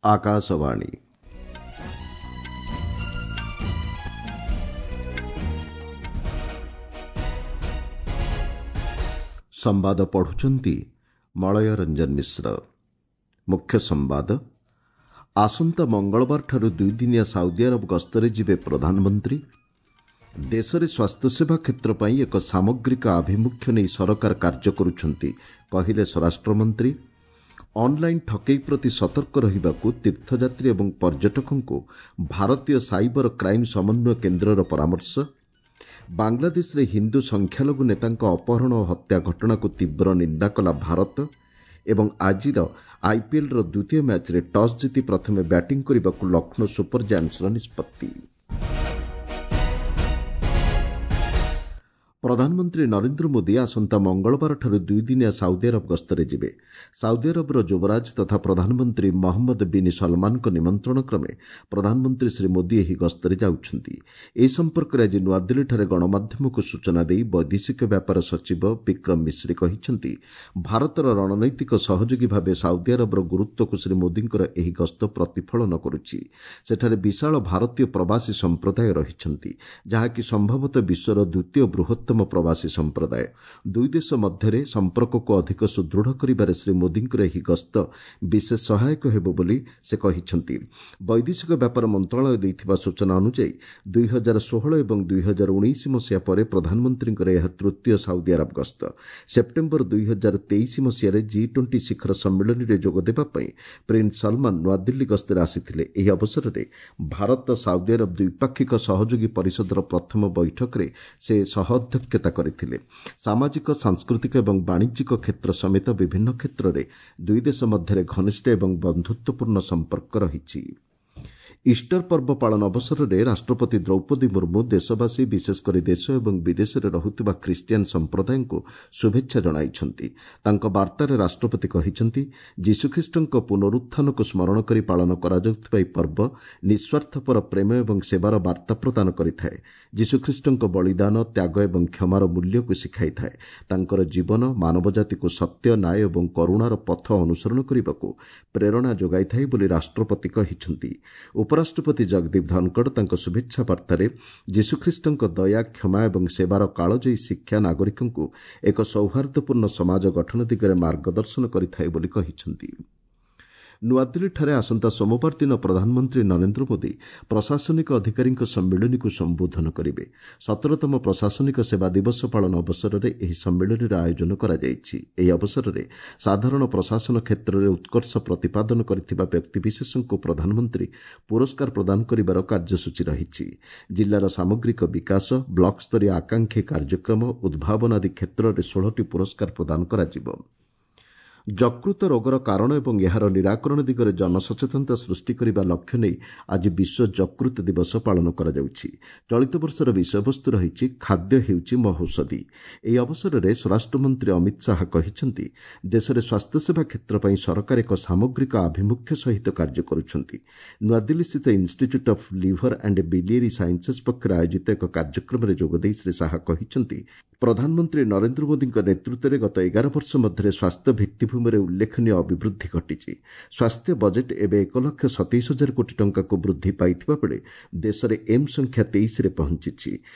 ଆକାଶବାଣୀ। ସମ୍ବାଦ ପଢୁଛନ୍ତି ମଳୟ ରଞ୍ଜନ ମିଶ୍ର। ମୁଖ୍ୟ ସମ୍ବାଦ। ଆସନ୍ତା ମଙ୍ଗଳବାରଠାରୁ ଦୁଇଦିନିଆ ସାଉଦି ଆରବ ଗସ୍ତରେ ଯିବେ ପ୍ରଧାନମନ୍ତ୍ରୀ। ଦେଶରେ ସ୍ୱାସ୍ଥ୍ୟସେବା କ୍ଷେତ୍ର ପାଇଁ ଏକ ସାମଗ୍ରିକ ଆଭିମୁଖ୍ୟ ନେଇ ସରକାର କାର୍ଯ୍ୟ କରୁଛନ୍ତି, କହିଲେ ସ୍ୱରାଷ୍ଟ୍ରମନ୍ତ୍ରୀ। ଅନ୍ଲାଇନ୍ ଠକେଇ ପ୍ରତି ସତର୍କ ରହିବାକୁ ତୀର୍ଥଯାତ୍ରୀ ଏବଂ ପର୍ଯ୍ୟଟକଙ୍କୁ ଭାରତୀୟ ସାଇବର କ୍ରାଇମ୍ ସମନ୍ୱୟ କେନ୍ଦ୍ରର ପରାମର୍ଶ। ବାଂଲାଦେଶରେ ହିନ୍ଦୁ ସଂଖ୍ୟାଲଘୁ ନେତାଙ୍କ ଅପହରଣ ଓ ହତ୍ୟା ଘଟଣାକୁ ତୀବ୍ର ନିନ୍ଦା କଲା ଭାରତ। ଏବଂ ଆଜିର ଆଇପିଏଲ୍ର ଦ୍ୱିତୀୟ ମ୍ୟାଚ୍ରେ ଟସ୍ ଜିତି ପ୍ରଥମେ ବ୍ୟାଟିଂ କରିବାକୁ ଲକ୍ଷ୍ନୌ ସୁପର ଜାୟାଣ୍ଟସ୍ର ନିଷ୍ପତ୍ତି। ପ୍ରଧାନମନ୍ତ୍ରୀ ନରେନ୍ଦ୍ର ମୋଦି ଆସନ୍ତା ମଙ୍ଗଳବାରଠାରୁ ଦୁଇଦିନିଆ ସାଉଦି ଆରବ ଗସ୍ତରେ ଯିବେ। ସାଉଦି ଆରବର ଯୁବରାଜ ତଥା ପ୍ରଧାନମନ୍ତ୍ରୀ ମହମ୍ମଦ ବିନ୍ ସଲମାନଙ୍କ ନିମନ୍ତ୍ରଣ କ୍ରମେ ପ୍ରଧାନମନ୍ତ୍ରୀ ଶ୍ରୀ ମୋଦି ଏହି ଗସ୍ତରେ ଯାଉଛନ୍ତି। ଏ ସମ୍ପର୍କରେ ଆଜି ନୂଆଦିଲ୍ଲୀଠାରେ ଗଣମାଧ୍ୟମକୁ ସୂଚନା ଦେଇ ବୈଦେଶିକ ବ୍ୟାପାର ସଚିବ ବିକ୍ରମ ମିଶ୍ରି କହିଛନ୍ତି, ଭାରତର ରଣନୈତିକ ସହଯୋଗୀ ଭାବେ ସାଉଦି ଆରବର ଗୁରୁତ୍ୱକୁ ଶ୍ରୀ ମୋଦିଙ୍କର ଏହି ଗସ୍ତ ପ୍ରତିଫଳନ କରୁଛି। ସେଠାରେ ବିଶାଳ ଭାରତୀୟ ପ୍ରବାସୀ ସମ୍ପ୍ରଦାୟ ରହିଛନ୍ତି, ଯାହାକି ସମ୍ଭବତଃ ବିଶ୍ୱର ଦ୍ୱିତୀୟ ବୃହତ୍ତମ ପ୍ରବାସୀ ସମ୍ପ୍ରଦାୟ। ଦୁଇ ଦେଶ ମଧ୍ୟରେ ସମ୍ପର୍କକୁ ଅଧିକ ସୁଦୃଢ଼ କରିବାରେ ଶ୍ରୀ ମୋଦିଙ୍କର ଏହି ଗସ୍ତ ବିଶେଷ ସହାୟକ ହେବ ବୋଲି ସେ କହିଛନ୍ତି। ବୈଦେଶିକ ବ୍ୟାପାର ମନ୍ତ୍ରଣାଳୟ ଦେଇଥିବା ସୂଚନା ଅନୁଯାୟୀ 2016 ଏବଂ 2019 ମସିହା ପରେ ପ୍ରଧାନମନ୍ତ୍ରୀଙ୍କର ଏହା ତୃତୀୟ ସାଉଦି ଆରବ ଗସ୍ତ। ସେପ୍ଟେମ୍ବର 2023 ମସିହାରେ ଜି-20 ଶିଖର ସମ୍ମିଳନୀରେ ଯୋଗଦେବା ପାଇଁ ପ୍ରିନ୍ସ ସଲମାନ ନୂଆଦିଲ୍ଲୀ ଗସ୍ତରେ ଆସିଥିଲେ। ଏହି ଅବସରରେ ଭାରତ ସାଉଦି ଆରବ ଦ୍ୱିପାକ୍ଷିକ ସହଯୋଗୀ ପରିଷଦର ପ୍ରଥମ ବୈଠକରେ ସେ ସହ ଅଧ୍ୟକ୍ଷତା କରିଥିଲେ। ସାମାଜିକ, ସାଂସ୍କୃତିକ ଏବଂ ବାଣିଜ୍ୟିକ କ୍ଷେତ୍ର ସମେତ ବିଭିନ୍ନ କ୍ଷେତ୍ରରେ ଦୁଇ ଦେଶ ମଧ୍ୟରେ ଘନିଷ୍ଠ ଏବଂ ବନ୍ଧୁତ୍ୱପୂର୍ଣ୍ଣ ସମ୍ପର୍କ ରହିଛି। ଇଷ୍ଟର ପର୍ବ ପାଳନ ଅବସରରେ ରାଷ୍ଟ୍ରପତି ଦ୍ରୌପଦୀ ମୁର୍ମୁ ଦେଶବାସୀ, ବିଶେଷ କରି ଦେଶ ଏବଂ ବିଦେଶରେ ରହୁଥିବା ଖ୍ରୀଷ୍ଟିଆନ ସମ୍ପ୍ରଦାୟଙ୍କୁ ଶୁଭେଚ୍ଛା ଜଣାଇଛନ୍ତି। ତାଙ୍କ ବାର୍ତ୍ତାରେ ରାଷ୍ଟ୍ରପତି କହିଛନ୍ତି, ଯୀଶୁଖ୍ରୀଷ୍ଟଙ୍କ ପୁନରୁତ୍ଥାନକୁ ସ୍ମରଣ କରି ପାଳନ କରାଯାଉଥିବା ଏହି ପର୍ବ ନିଃସ୍ୱାର୍ଥପର ପ୍ରେମ ଏବଂ ସେବାର ବାର୍ତ୍ତା ପ୍ରଦାନ କରିଥାଏ। ଯୀଶୁଖ୍ରୀଷ୍ଟଙ୍କ ବଳିଦାନ, ତ୍ୟାଗ ଏବଂ କ୍ଷମାର ମୂଲ୍ୟକୁ ଶିଖାଇଥାଏ। ତାଙ୍କର ଜୀବନ ମାନବଜାତିକୁ ସତ୍ୟ, ନ୍ୟାୟ ଏବଂ କରୁଣାର ପଥ ଅନୁସରଣ କରିବାକୁ ପ୍ରେରଣା ଯୋଗାଇଥାଏ ବୋଲି ରାଷ୍ଟ୍ରପତି କହିଛନ୍ତି। ଉପରାଷ୍ଟ୍ରପତି ଜଗଦୀପ ଧନଖଡ଼ ତାଙ୍କ ଶୁଭେଚ୍ଛା ବାର୍ତ୍ତାରେ ଯୀଶୁଖ୍ରୀଷ୍ଟଙ୍କ ଦୟା, କ୍ଷମା ଏବଂ ସେବାର କାଳଜୟୀ ଶିକ୍ଷା ନାଗରିକଙ୍କୁ ଏକ ସୌହାର୍ଦ୍ଦ୍ୟପୂର୍ଣ୍ଣ ସମାଜ ଗଠନ ଦିଗରେ ମାର୍ଗଦର୍ଶନ କରିଥାଏ ବୋଲି କହିଛନ୍ତି। ନୂଆଦିଲ୍ଲୀଠାରେ ଆସନ୍ତା ସୋମବାର ଦିନ ପ୍ରଧାନମନ୍ତ୍ରୀ ନରେନ୍ଦ୍ର ମୋଦି ପ୍ରଶାସନିକ ଅଧିକାରୀଙ୍କ ସମ୍ମିଳନୀକୁ ସମ୍ବୋଧନ କରିବେ। 17ତମ ପ୍ରଶାସନିକ ସେବା ଦିବସ ପାଳନ ଅବସରରେ ଏହି ସମ୍ମିଳନୀର ଆୟୋଜନ କରାଯାଇଛି। ଏହି ଅବସରରେ ସାଧାରଣ ପ୍ରଶାସନ କ୍ଷେତ୍ରରେ ଉତ୍କର୍ଷ ପ୍ରତିପାଦନ କରିଥିବା ବ୍ୟକ୍ତିବିଶେଷଙ୍କୁ ପ୍ରଧାନମନ୍ତ୍ରୀ ପୁରସ୍କାର ପ୍ରଦାନ କରିବାର କାର୍ଯ୍ୟସୂଚୀ ରହିଛି। ଜିଲ୍ଲାର ସାମଗ୍ରିକ ବିକାଶ, ବ୍ଲକସ୍ତରୀୟ ଆକାଂକ୍ଷୀ କାର୍ଯ୍ୟକ୍ରମ, ଉଦ୍ଭାବନ ଆଦି କ୍ଷେତ୍ରରେ 16ଟି ପୁରସ୍କାର ପ୍ରଦାନ କରାଯିବ। ଯକୃତ ରୋଗର କାରଣ ଏବଂ ଏହାର ନିରାକରଣ ଦିଗରେ ଜନସଚେତନତା ସୃଷ୍ଟି କରିବା ଲକ୍ଷ୍ୟ ନେଇ ଆଜି ବିଶ୍ୱ ଯକୃତ ଦିବସ ପାଳନ କରାଯାଉଛି। ଚଳିତ ବର୍ଷର ବିଷୟବସ୍ତୁ ରହିଛି ଖାଦ୍ୟ ହେଉଛି ମହୌଷଧି। ଏହି ଅବସରରେ ସ୍ୱରାଷ୍ଟ୍ରମନ୍ତ୍ରୀ ଅମିତ ଶାହା କହିଛନ୍ତି, ଦେଶରେ ସ୍ୱାସ୍ଥ୍ୟସେବା କ୍ଷେତ୍ର ପାଇଁ ସରକାର ଏକ ସାମଗ୍ରିକ ଆଭିମୁଖ୍ୟ ସହିତ କାର୍ଯ୍ୟ କରୁଛନ୍ତି। ନୂଆଦିଲ୍ଲୀସ୍ଥିତ Institute of Liver and Biliary Sciences ପକ୍ଷରୁ ଆୟୋଜିତ ଏକ କାର୍ଯ୍ୟକ୍ରମରେ ଯୋଗଦେଇ ଶ୍ରୀ ଶାହା କହିଛନ୍ତି, ପ୍ରଧାନମନ୍ତ୍ରୀ ନରେନ୍ଦ୍ର ମୋଦିଙ୍କ ନେତୃତ୍ୱରେ ଗତ 11 ବର୍ଷ ମଧ୍ୟରେ ସ୍ୱାସ୍ଥ୍ୟ ଭିତ୍ତିଭୂମିରେ ଉଲ୍ଲେଖନୀୟ ଅଭିବୃଦ୍ଧି ଘଟିଛି। ସ୍ୱାସ୍ଥ୍ୟ ବଜେଟ୍ ଏବେ 1,27,000 କୋଟି ଟଙ୍କାକୁ ବୃଦ୍ଧି ପାଇଥିବା ବେଳେ ଦେଶରେ ଏମ୍ସ ସଂଖ୍ୟା 23ରେ ପହଞ୍ଚିଛି।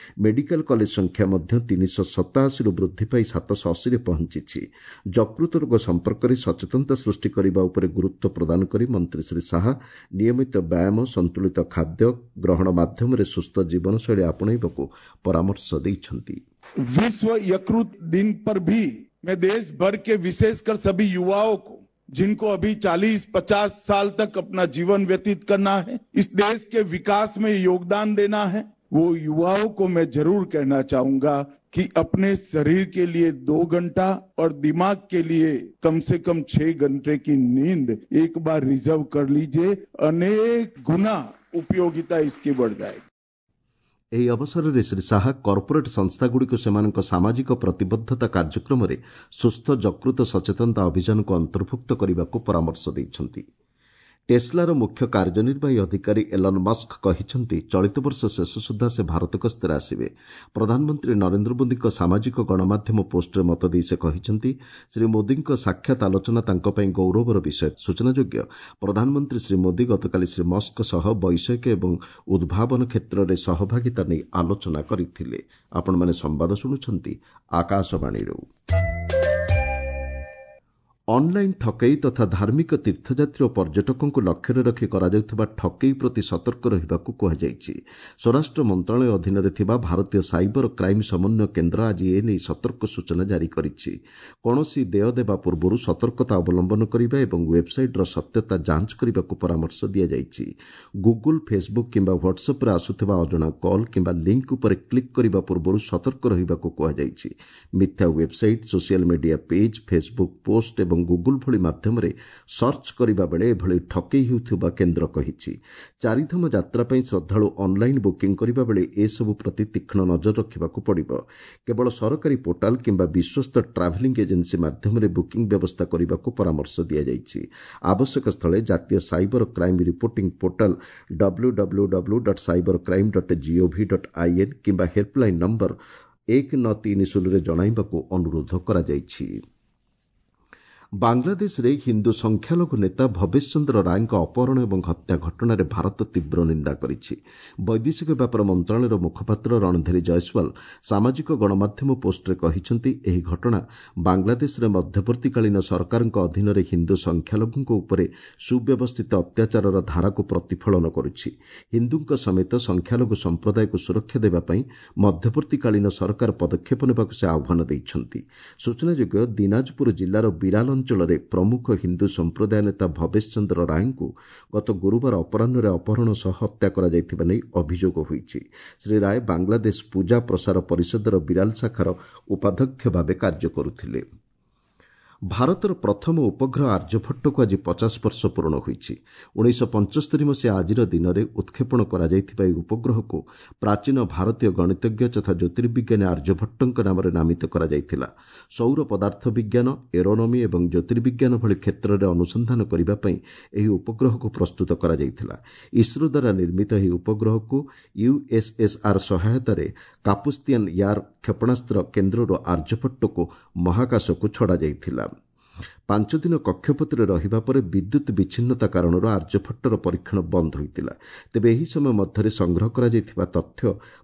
ମେଡିକାଲ କଲେଜ ସଂଖ୍ୟା ମଧ୍ୟ 387ରୁ ବୃଦ୍ଧି ପାଇ 780ରେ ପହଞ୍ଚିଛି। ଯକୃତ ରୋଗ ସମ୍ପର୍କରେ ସଚେତନତା ସୃଷ୍ଟି କରିବା ଉପରେ ଗୁରୁତ୍ୱ ପ୍ରଦାନ କରି ମନ୍ତ୍ରୀ ଶ୍ରୀ ଶାହା ନିୟମିତ ବ୍ୟାୟାମ, ସନ୍ତୁଳିତ ଖାଦ୍ୟ ଗ୍ରହଣ ମାଧ୍ୟମରେ ସୁସ୍ଥ ଜୀବନଶୈଳୀ ଆପଣେଇବାକୁ ପରାମର୍ଶ ଦେଇଛନ୍ତି। विश्व यकृत दिन पर भी मैं देश भर के विशेषकर सभी युवाओं को, जिनको अभी 40-50 साल तक अपना जीवन व्यतीत करना है, इस देश के विकास में योगदान देना है, वो युवाओं को मैं जरूर कहना चाहूंगा कि अपने शरीर के लिए 2 घंटा और दिमाग के लिए कम से कम 6 घंटे की नींद एक बार रिजर्व कर लीजिए। अनेक गुना उपयोगिता इसकी बढ़ जाएगी। ଏହି ଅବସରରେ ଶ୍ରୀ ଶାହା କର୍ପୋରେଟ୍ ସଂସ୍ଥାଗୁଡ଼ିକୁ ସେମାନଙ୍କ ସାମାଜିକ ପ୍ରତିବଦ୍ଧତା କାର୍ଯ୍ୟକ୍ରମରେ ସୁସ୍ଥ ଯକୃତ ସଚେତନତା ଅଭିଯାନକୁ ଅନ୍ତର୍ଭୁକ୍ତ କରିବାକୁ ପରାମର୍ଶ ଦେଇଛନ୍ତି। ଟେସ୍ଲାର ମୁଖ୍ୟ କାର୍ଯ୍ୟନିର୍ବାହୀ ଅଧିକାରୀ ଏଲନ୍ ମସ୍କ କହିଛନ୍ତି, ଚଳିତ ବର୍ଷ ଶେଷ ସୁଦ୍ଧା ସେ ଭାରତ ଗସ୍ତରେ ଆସିବେ। ପ୍ରଧାନମନ୍ତ୍ରୀ ନରେନ୍ଦ୍ର ମୋଦିଙ୍କ ସାମାଜିକ ଗଣମାଧ୍ୟମ ପୋଷ୍ଟରେ ମତ ଦେଇ ସେ କହିଛନ୍ତି, ଶ୍ରୀ ମୋଦିଙ୍କ ସାକ୍ଷାତ ଆଲୋଚନା ତାଙ୍କ ପାଇଁ ଗୌରବର ବିଷୟ। ସୂଚନାଯୋଗ୍ୟ, ପ୍ରଧାନମନ୍ତ୍ରୀ ଶ୍ରୀ ମୋଦି ଗତକାଲି ଶ୍ରୀ ମସ୍କଙ୍କ ସହ ବୈଷୟିକ ଏବଂ ଉଦ୍ଭାବନ କ୍ଷେତ୍ରରେ ସହଭାଗିତା ନେଇ ଆଲୋଚନା କରିଥିଲେ। ଆପଣମାନେ ସମ୍ବାଦ ଶୁଣୁଛନ୍ତି ଆକାଶବାଣୀରୁ। ଅନ୍ଲାଇନ୍ ଠକେଇ ତଥା ଧାର୍ମିକ ତୀର୍ଥଯାତ୍ରୀ ଓ ପର୍ଯ୍ୟଟକଙ୍କୁ ଲକ୍ଷ୍ୟରେ ରଖି କରାଯାଉଥିବା ଠକେଇ ପ୍ରତି ସତର୍କ ରହିବାକୁ କୁହାଯାଇଛି। ସ୍ୱରାଷ୍ଟ୍ର ମନ୍ତ୍ରଣାଳୟ ଅଧୀନରେ ଥିବା ଭାରତୀୟ ସାଇବର କ୍ରାଇମ୍ ସମନ୍ୱୟ କେନ୍ଦ୍ର ଆଜି ଏ ନେଇ ସତର୍କ ସୂଚନା ଜାରି କରିଛି। କୌଣସି ଦେୟ ଦେବା ପୂର୍ବରୁ ସତର୍କତା ଅବଲମ୍ବନ କରିବା ଏବଂ ୱେବ୍ସାଇଟ୍ର ସତ୍ୟତା ଯାଞ୍ଚ କରିବାକୁ ପରାମର୍ଶ ଦିଆଯାଇଛି। ଗୁଗୁଲ୍, ଫେସ୍ବୁକ୍ କିମ୍ବା ହ୍ୱାଟ୍ସଆପ୍ରେ ଆସୁଥିବା ଅଜଣା କଲ୍ କିମ୍ବା ଲିଙ୍କ୍ ଉପରେ କ୍ଲିକ୍ କରିବା ପୂର୍ବରୁ ସତର୍କ ରହିବାକୁ କୁହାଯାଇଛି। ମିଥ୍ୟା website, social media page, Facebook post ଏବଂ ଗୁଗୁଲ୍ ଭଳି ମାଧ୍ୟମରେ ସର୍ଚ୍ଚ କରିବା ବେଳେ ଏଭଳି ଠକେଇ ହେଉଥିବା କେନ୍ଦ୍ର କହିଛି। ଚାରିଧାମ ଯାତ୍ରା ପାଇଁ ଶ୍ରଦ୍ଧାଳୁ ଅନ୍ଲାଇନ୍ ବୁକିଂ କରିବା ବେଳେ ଏସବୁ ପ୍ରତି ତୀକ୍ଷ୍ଣ ନଜର ରଖିବାକୁ ପଡ଼ିବ। କେବଳ ସରକାରୀ ପୋର୍ଟାଲ୍ କିମ୍ବା ବିଶ୍ୱସ୍ତ ଟ୍ରାଭେଲିଂ ଏଜେନ୍ସି ମାଧ୍ୟମରେ ବୁକିଂ ବ୍ୟବସ୍ଥା କରିବାକୁ ପରାମର୍ଶ ଦିଆଯାଇଛି। ଆବଶ୍ୟକ ସ୍ଥଳେ ଜାତୀୟ cyber crime reporting portal W W W dot cyber crime dot gov dot in କିମ୍ବା ହେଲ୍ପଲାଇନ୍ ନମ୍ବର 1930ରେ ଜଣାଇବାକୁ ଅନୁରୋଧ କରାଯାଇଛି। ବାଂଲାଦେଶରେ ହିନ୍ଦୁ ସଂଖ୍ୟାଲଘୁ ନେତା ଭବେଶ ଚନ୍ଦ୍ର ରାୟଙ୍କ ଅପହରଣ ଏବଂ ହତ୍ୟା ଘଟଣାରେ ଭାରତ ତୀବ୍ର ନିନ୍ଦା କରିଛି। ବୈଦେଶିକ ବ୍ୟାପାର ମନ୍ତ୍ରଣାଳୟର ମୁଖପାତ୍ର ରଣଧୀର ଜୟସ୍ୱାଲ ସାମାଜିକ ଗଣମାଧ୍ୟମ ପୋଷ୍ଟରେ କହିଛନ୍ତି, ଏହି ଘଟଣା ବାଂଲାଦେଶରେ ମଧ୍ୟବର୍ତ୍ତୀକାଳୀନ ସରକାରଙ୍କ ଅଧୀନରେ ହିନ୍ଦୁ ସଂଖ୍ୟାଲଘୁଙ୍କ ଉପରେ ସୁବ୍ୟବସ୍ଥିତ ଅତ୍ୟାଚାରର ଧାରାକୁ ପ୍ରତିଫଳନ କରୁଛି। ହିନ୍ଦୁଙ୍କ ସମେତ ସଂଖ୍ୟାଲଘୁ ସମ୍ପ୍ରଦାୟକୁ ସୁରକ୍ଷା ଦେବା ପାଇଁ ମଧ୍ୟବର୍ତ୍ତୀକାଳୀନ ସରକାର ପଦକ୍ଷେପ ନେବାକୁ ସେ ଆହ୍ୱାନ ଦେଇଛନ୍ତି। ସୂଚନାଯୋଗ୍ୟ, ଦିନାଜପୁର ଜିଲ୍ଲାର ବିରାଲ ଅଞ୍ଚଳରେ ପ୍ରମୁଖ ହିନ୍ଦୁ ସମ୍ପ୍ରଦାୟ ନେତା ଭବେଶ ଚନ୍ଦ୍ର ରାୟଙ୍କୁ ଗତ ଗୁରୁବାର ଅପରାହ୍ନରେ ଅପହରଣ ସହ ହତ୍ୟା କରାଯାଇଥିବା ନେଇ ଅଭିଯୋଗ ହୋଇଛି। ଶ୍ରୀ ରାୟ ବାଂଲାଦେଶ ପୂଜା ପ୍ରସାର ପରିଷଦର ବିରାଲ ଶାଖାର ଉପାଧ୍ୟକ୍ଷ ଭାବେ କାର୍ଯ୍ୟ କରୁଥିଲେ। ଭାରତର ପ୍ରଥମ ଉପଗ୍ରହ ଆର୍ଯ୍ୟଭଟ୍ଟକୁ ଆଜି 50 ବର୍ଷ ପୂରଣ ହୋଇଛି। 1975 ମସିହା ଆଜିର ଦିନରେ ଉତ୍କ୍ଷେପଣ କରାଯାଇଥିବା ଏହି ଉପଗ୍ରହକୁ ପ୍ରାଚୀନ ଭାରତୀୟ ଗଣିତଜ୍ଞ ତଥା ଜ୍ୟୋତିର୍ବିଜ୍ଞାନୀ ଆର୍ଯ୍ୟଭଟ୍ଟଙ୍କ ନାମରେ ନାମିତ କରାଯାଇଥିଲା। ସୌର ପଦାର୍ଥ ବିଜ୍ଞାନ, ଏରୋନୋମି ଏବଂ ଜ୍ୟୋତିର୍ବିଜ୍ଞାନ ଭଳି କ୍ଷେତ୍ରରେ ଅନୁସନ୍ଧାନ କରିବା ପାଇଁ ଏହି ଉପଗ୍ରହକୁ ପ୍ରସ୍ତୁତ କରାଯାଇଥିଲା। ଇସ୍ରୋ ଦ୍ୱାରା ନିର୍ମିତ ଏହି ଉପଗ୍ରହକୁ ୟୁଏସ୍ଏସ୍ଆର୍ ସହାୟତାରେ କାପୁସ୍ତିଆନ୍ ୟାର୍ କ୍ଷେପଣାସ୍ତ୍ର କେନ୍ଦ୍ରରୁ ଆର୍ଯ୍ୟଭଟ୍ଟକୁ ମହାକାଶକୁ ଛଡ଼ାଯାଇଥିଲା। 5 ଦିନ କକ୍ଷପଥରେ ରହିବା ପରେ ବିଦ୍ୟୁତ୍ ବିଚ୍ଛିନ୍ନତା କାରଣରୁ ଆର୍ଯ୍ୟଭଟ୍ଟର ପରୀକ୍ଷଣ ବନ୍ଦ ହୋଇଥିଲା। ତେବେ ଏହି ସମୟ ମଧ୍ୟରେ ସଂଗ୍ରହ କରାଯାଇଥିବା ତଥ୍ୟ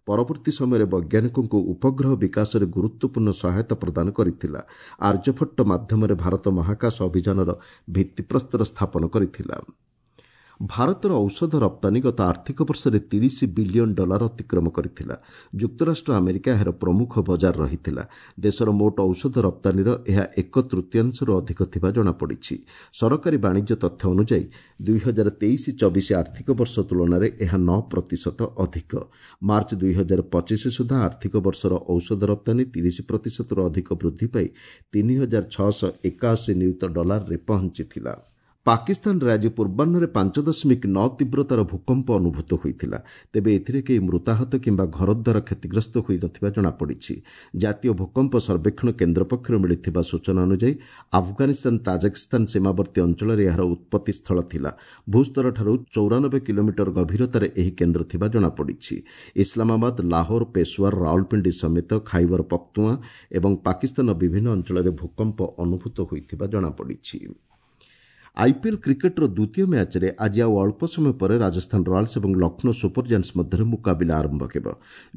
ପରବର୍ତ୍ତୀ ସମୟରେ ବୈଜ୍ଞାନିକଙ୍କୁ ଉପଗ୍ରହ ବିକାଶରେ ଗୁରୁତ୍ୱପୂର୍ଣ୍ଣ ସହାୟତା ପ୍ରଦାନ କରିଥିଲା। ଆର୍ଯ୍ୟଭଟ୍ଟ ମାଧ୍ୟମରେ ଭାରତ ମହାକାଶ ଅଭିଯାନର ଭିତ୍ତିପ୍ରସ୍ତର ସ୍ଥାପନ କରିଥିଲା। ଭାରତର ଔଷଧ ରପ୍ତାନୀ ଗତ ଆର୍ଥିକ ବର୍ଷରେ 30 ବିଲିୟନ୍ ଡଲାର ଅତିକ୍ରମ କରିଥିଲା। ଯୁକ୍ତରାଷ୍ଟ୍ର ଆମେରିକା ଏହାର ପ୍ରମୁଖ ବଜାର ରହିଥିଲା। ଦେଶର ମୋଟ ଔଷଧ ରପ୍ତାନୀର ଏହା ଏକ ତୃତୀୟାଂଶରୁ ଅଧିକ ଥିବା ଜଣାପଡ଼ିଛି। ସରକାରୀ ବାଣିଜ୍ୟ ତଥ୍ୟ ଅନୁଯାୟୀ 2023-24 ଆର୍ଥିକ ବର୍ଷ ତୁଳନାରେ ଏହା 9 ପ୍ରତିଶତ ଅଧିକ। ମାର୍ଚ୍ଚ 2025 ସୁଦ୍ଧା ଆର୍ଥିକ ବର୍ଷର ଔଷଧ ରପ୍ତାନୀ 30 ପ୍ରତିଶତରୁ ଅଧିକ ବୃଦ୍ଧି ପାଇ 3681 ନିୟୁତ ଡଲାରରେ ପହଞ୍ଚିଥିଲା। ପାକିସ୍ତାନରେ ଆଜି ପୂର୍ବାହ୍ନରେ 5.9 ତୀବ୍ରତାର ଭୂକମ୍ପ ଅନୁଭୂତ ହୋଇଥିଲା। ତେବେ ଏଥିରେ କେହି ମୃତାହତ କିମ୍ବା ଘରଦ୍ୱାର କ୍ଷତିଗ୍ରସ୍ତ ହୋଇନଥିବା ଜଣାପଡ଼ିଛି। ଜାତୀୟ ଭୂକମ୍ପ ସର୍ବେକ୍ଷଣ କେନ୍ଦ୍ର ପକ୍ଷରୁ ମିଳିଥିବା ସୂଚନା ଅନୁଯାୟୀ ଆଫଗାନିସ୍ତାନ ତାଜିକିସ୍ତାନ ସୀମାବର୍ତ୍ତୀ ଅଞ୍ଚଳରେ ଏହାର ଉତ୍ପତ୍ତି ସ୍ଥଳ ଥିଲା। ଭୂସ୍ତରଠାରୁ 94 କିଲୋମିଟର ଗଭୀରତାରେ ଏହି କେନ୍ଦ୍ର ଥିବା ଜଣାପଡ଼ିଛି। ଇସଲାମାବାଦ, ଲାହୋର, ପେଶୱାର, ରାଓଲପିଣ୍ଡି ସମେତ ଖାଇବର ପଖ୍ତୁଆ ଏବଂ ପାକିସ୍ତାନର ବିଭିନ୍ନ ଅଞ୍ଚଳରେ ଭୂକମ୍ପ ଅନୁଭୂତ ହୋଇଥିବା ଜଣାପଡ଼ିଛି। ଆଇପିଏଲ୍ କ୍ରିକେଟ୍ର ଦ୍ୱିତୀୟ ମ୍ୟାଚ୍ରେ ଆଜି ଆଉ ଅଳ୍ପ ସମୟ ପରେ ରାଜସ୍ଥାନ ରୟାଲ୍ସ ଏବଂ ଲକ୍ଷ୍ନୌ ସୁପର ଜାଏଣ୍ଟସ୍ ମଧ୍ୟରେ ମୁକାବିଲା ଆରମ୍ଭ ହେବ।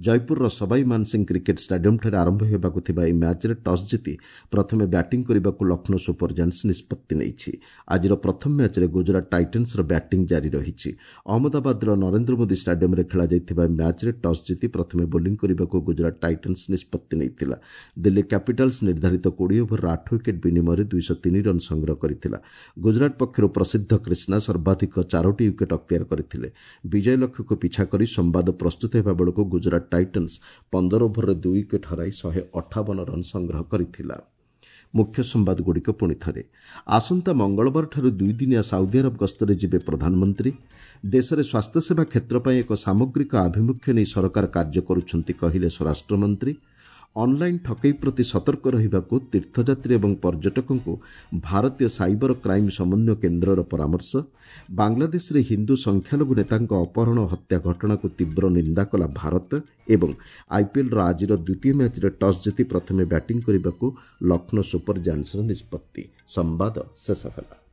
ଜୟପୁରର ସବାଇ ମାନସିଂ କ୍ରିକେଟ୍ ଷ୍ଟାଡିୟମ୍ଠାରେ ଆରମ୍ଭ ହେବାକୁ ଥିବା ଏହି ମ୍ୟାଚ୍ରେ ଟସ୍ ଜିତି ପ୍ରଥମେ ବ୍ୟାଟିଂ କରିବାକୁ ଲକ୍ଷ୍ନୌ ସୁପର ଜାଏଣ୍ଟସ୍ ନିଷ୍ପତ୍ତି ନେଇଛି। ଆଜିର ପ୍ରଥମ ମ୍ୟାଚ୍ରେ ଗୁଜରାଟ ଟାଇଟନ୍ସର ବ୍ୟାଟିଂ ଜାରି ରହିଛି। ଅହମ୍ମଦାବାଦର ନରେନ୍ଦ୍ର ମୋଦି ଷ୍ଟାଡିୟମ୍ରେ ଖେଳାଯାଇଥିବା ମ୍ୟାଚ୍ରେ ଟସ୍ ଜିତି ପ୍ରଥମେ ବୋଲିଂ କରିବାକୁ ଗୁଜରାଟ ଟାଇଟନ୍ସ ନିଷ୍ପତ୍ତି ନେଇଥିଲା। ଦିଲ୍ଲୀ କ୍ୟାପିଟାଲ୍ସ ନିର୍ଦ୍ଧାରିତ 20 ଓଭରର 8 ୱିକେଟ୍ ବିନିମୟରେ 203 ରନ୍ ସଂଗ୍ରହ କରିଥିଲା। ଗୁଜରାଟ ପକ୍ଷରୁ ପ୍ରସିଦ୍ଧ କ୍ରିଷ୍ଣା ସର୍ବାଧିକ 4ଟି ୱିକେଟ୍ ଅକ୍ତିଆର କରିଥିଲେ। ବିଜୟ ଲକ୍ଷ୍ୟକୁ ପିଛା କରି ସମ୍ବାଦ ପ୍ରସ୍ତୁତ ହେବା ବେଳକୁ ଗୁଜରାଟ ଟାଇଟନ୍ସ 15 ଓଭରରେ 2 ୱିକେଟ୍ ହରାଇ 158 ରନ୍ ସଂଗ୍ରହ କରିଥିଲା। ମୁଖ୍ୟ ସମ୍ବାଦଗୁଡ଼ିକ ପୁଣି ଥରେ। ଆସନ୍ତା ମଙ୍ଗଳବାରଠାରୁ 2 ଦିନିଆ ସାଉଦି ଆରବ ଗସ୍ତରେ ଯିବେ ପ୍ରଧାନମନ୍ତ୍ରୀ। ଦେଶରେ ସ୍ୱାସ୍ଥ୍ୟସେବା କ୍ଷେତ୍ର ପାଇଁ ଏକ ସାମଗ୍ରିକ ଆଭିମୁଖ୍ୟ ନେଇ ସରକାର କାର୍ଯ୍ୟ କରୁଛନ୍ତି, କହିଲେ ସ୍ୱରାଷ୍ଟ୍ରମନ୍ତ୍ରୀ। ଅନ୍ଲାଇନ୍ ଠକେଇ ପ୍ରତି ସତର୍କ ରହିବାକୁ ତୀର୍ଥଯାତ୍ରୀ ଏବଂ ପର୍ଯ୍ୟଟକଙ୍କୁ ଭାରତୀୟ ସାଇବର କ୍ରାଇମ୍ ସମନ୍ୱୟ କେନ୍ଦ୍ରର ପରାମର୍ଶ। ବାଂଲାଦେଶରେ ହିନ୍ଦୁ ସଂଖ୍ୟାଲଘୁ ନେତାଙ୍କ ଅପହରଣ ହତ୍ୟା ଘଟଣାକୁ ତୀବ୍ର ନିନ୍ଦା କଲା ଭାରତ। ଏବଂ ଆଇପିଏଲ୍ର ଆଜିର ଦ୍ୱିତୀୟ ମ୍ୟାଚ୍ରେ ଟସ୍ ଜିତି ପ୍ରଥମେ ବ୍ୟାଟିଂ କରିବାକୁ ଲକ୍ଷ୍ନୌ ସୁପର ଜାଏଣ୍ଟସ୍ର ନିଷ୍ପତ୍ତି। ସମ୍ବାଦ ଶେଷ ହେଲା।